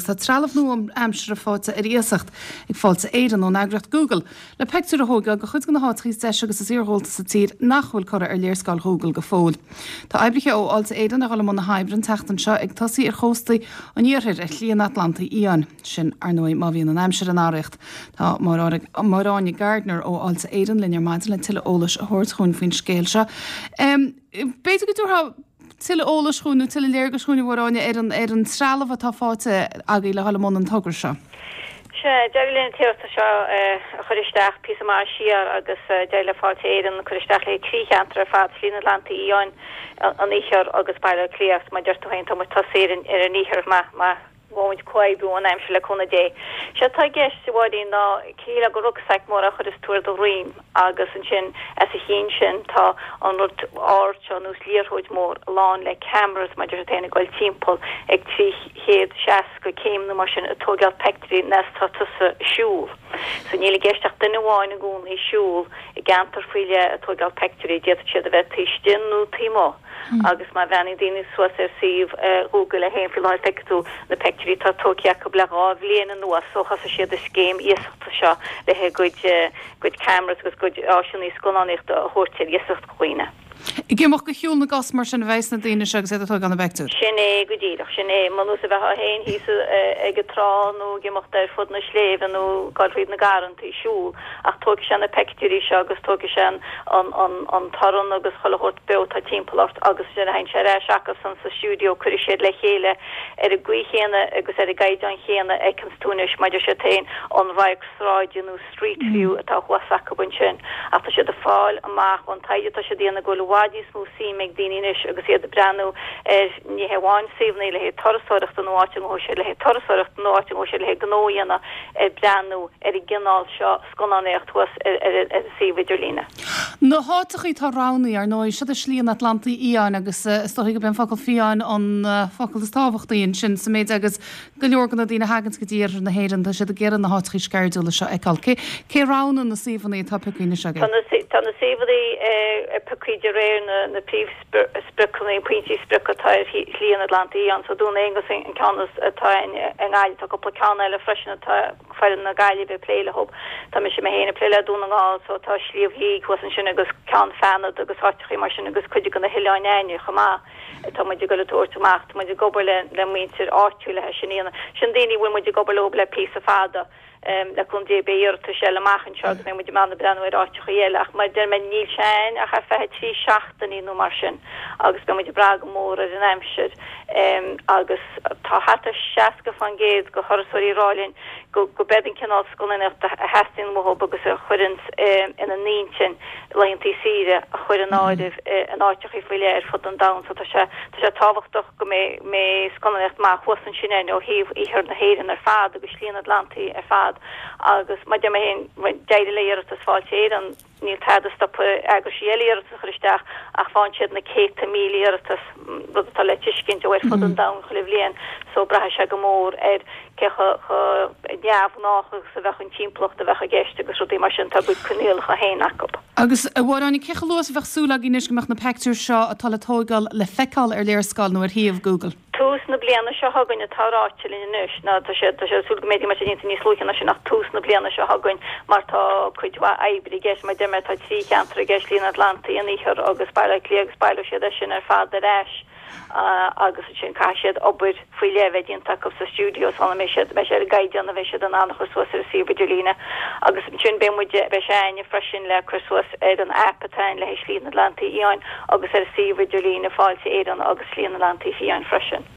agus tá trealamh nua-aimseartha faighte ar iasacht ag Fáilte Éireann ón eagraíocht Google le peictiúir a thóigeáil de chuid de na háiteacha is deise agus is iarghúlta sa tír nach bhfuil curtha ar léarscáil Google go fóill. Tá oibrithe ó Fháilte Éireann ag dul i mbun na hoibre an tseachtain seo ag tosaí ar chóstaí an iarthair ar Shlí an Atlantaigh Fhiáin. Sin, ar ndóigh, má bhíonn an aimsir in barraíocht. Tá Máire Áine Gardiner ó Fháilte Éireann linn ar maidin le tuilleadh eolais a thabhairt chugainn faoin scéal seo. B'fhéidir go dtabharfá tuilleadh eolais chugainn nó tuilleadh léargais chugainn, a Mháire Áine, ar an ar an trealamh atá faighte agaibh le dhul i mbun an togra seo. Sea, d'éirigh linn an t-iarratas seo a chur isteach píosa maith siar agus d'éirigh le Fáilte Éireann cur isteach le haghaidh 3 cheantar ar fad, Slí an Atlantaigh Fhiáin, an Iarthar agus Baile Átha Cliath. Agus mar a deir tú féin, tá muid tosaithe ar an ar an Iarthar má bhfaighimid comhoibriú ón aimsir le cúnamh Dé. Sé atá i gceist, a Mháirín, ná shílfeá gur rucksack mór á chur is tú ar do dhroim agus ansin as a chionn sin tá an rud ard seo ar nós liathróid mór lán le cameras mar a deir tú féin ag dul timpeall ag 360 céim nó mar sin ag tóigeáil peictiúirí nuair atá tusa ag siúl. So níl i gceist ach duine amháin i gcónaí ag siúl i gceantar faoi leith ag tóigeáil peictiúirí, d'fhéadfadh siad a bheith taobh istigh nó taobh amuigh. Agus má bhreathnaíonn daoine suas ar suíomh Google é féin faoi láthair feicfidh tú na peictiúirí atá tógtha acu le 2 bhliain anuas ó thosaigh siad an scéim iasachta seo le a gcuid gcuid cameras agus gcuid áiseanna scannánaíochta a thabhairt ar iasacht do dhaoine. Ag imeacht de shiúl na gcos mar sin a bheas na daoine seo agus iad ag tógáil na bpeictiúr. Sin é go díreach, sin é. Ar nós a bheifeá féin thíos ag an trá nó ag imeacht ar fud na sléibhe nó ag dul thríd na garrantaí ag siúl. Ach tógfaidh sé na peictiúirí seo agus tógfaidh sé an torann agus chuile shórt beo atá timpeall ort agus ansin a théann sé ar ais acusan sa stiúideo cuirfidh siad le chéile ar an gcaoi chéanna agus ar an gcaighdeán chéanna a fheiceanns tú anois mar a deir siad féin an radharc sráide nó street view atá thuas acu ansin. Ach tá siad ag fáil amach ón taighde atá siad a dhéanamh go bhfuil i bhfad níos mó suime ag daoine anois agus iad ag breathnú ar ní hé amháin suíomhanna le haghaidh turasóireachta nó áit a ngabhfaidh siad le haghaidh turasóireachta nó áit a ngabhfaidh siad le haghaidh gnó a dhéanamh ag breathnú ar an gcineál seo scannánaíocht thuas ar an suíomh idirlíne. Na háiteachaí atá roghnaithe, ar ndóigh, siod é Slí an Atlantaigh Fhiáin agus is dóichí gurb é an focal fiáin an focal is tábhachtaí ansin sa méid agus go leor de na daoine a thaganns go dtí iarthar na hÉireann tá siad ag iarraidh na háiteachaí sceirdiúla seo a fheiceáil. Cé cé roghnaigh na suíomhanna atá pioctha anois agaibh? Tá na suíomhanna pioctha de réir na príomh spriocanna, pointí sprioce atá ar Shlí an Atlantaigh Fhiáin. So Dún Aonghasa an ceann atá i nGaillimh. Tá cúpla ceann eile freisin atá foireann na Gaillimhe ag plé leo. Tá mise mé féin ag plé le Dún na nGall so tá Sliabh Liag thuas ansin agus Ceann Fánada agus áiteachaí mar sin agus cuid de na hOileáin Aithne chomh maith atá muid ag dul a tabhairt amach. Tá muid ag obair le muintir áitiúil le sin a dhéanamh. Sin daoine a bhfuil muid ag obair leo le píosa fada. Le cúnamh Dé beidh iarratais eile amach anseo agus beidh muid in ann breathnú ar áiteachaí eile ach mar a deir mé níl sé ann ach ar feadh 3 seachtainí nó mar sin agus beidh muid ag brath go mór ar an aimsir agus tá thart ar 60% de thurasóirí ag rá linn go gurb é an cineál scannánaíochta a theastaíonn uathu agus a chuireanns ina n-intinn laethantaí saoire a chur in áireamh in áiteachaí faoi leith ar fud an domhain so tá sé tá sé tábhachtach go mbeidh scannánaíocht maith thuas ansin againn ó thaobh iarthar na hÉireann ar fad agus Slí an Atlantaigh ar fad agus mar a deir mé féin, d'éirigh le iarratas Fáilte Éireann, níl tada ag stopadh eagraisí eile iarratas a chur isteach ach faigheann siad na céadta míle iarratas, rud atá le tuiscint, ó ar fud an domhain chuile bhliain so braithfidh sé go mór ar cé chomh neamhghnách agus a bheadh an timpeallacht a bheadh i gceist agus rudaí mar sin, tá a gcuid coinníollacha féin acu. Agus, a Mháire Áine, cé chomh luath is a bheadh súil againn anois go mbeadh na peictiúir seo atá le tóigeáil le feiceáil ar léarscáil nó ar shuíomh Google? Tús na bliana seo chugainn atá ráite linn anois. Ná tá sé tá sé ag súil go mbeidh sé déanta níos luaithe ná sin ach tús na bliana seo chugainn mar tá cuid mhaith oibre i gceist. Mar a deir mé tá 3 cheantar i gceist, Slí an Atlantaigh, an Iarthar agus Baile Átha Cliath agus baileoidh siad é sin ar fad ar ais agus ansin caithfidh siad obair faoi leith a bheith déanta acu sa stiúideo sula mbeidh siad beidh sé ar an gcaighdeán a bheidh siad in ann a chur suas ar an suíomh idirlíne agus ansin beidh muid beidh sé a'inne freisin le cur suas ar an aip atá a'inn le haghaidh Slí an Atlantaigh Fhiáin agus ar an suíomh idirlíne Fáilte Éireann agus Slí an Atlantaigh Fiáin freisin.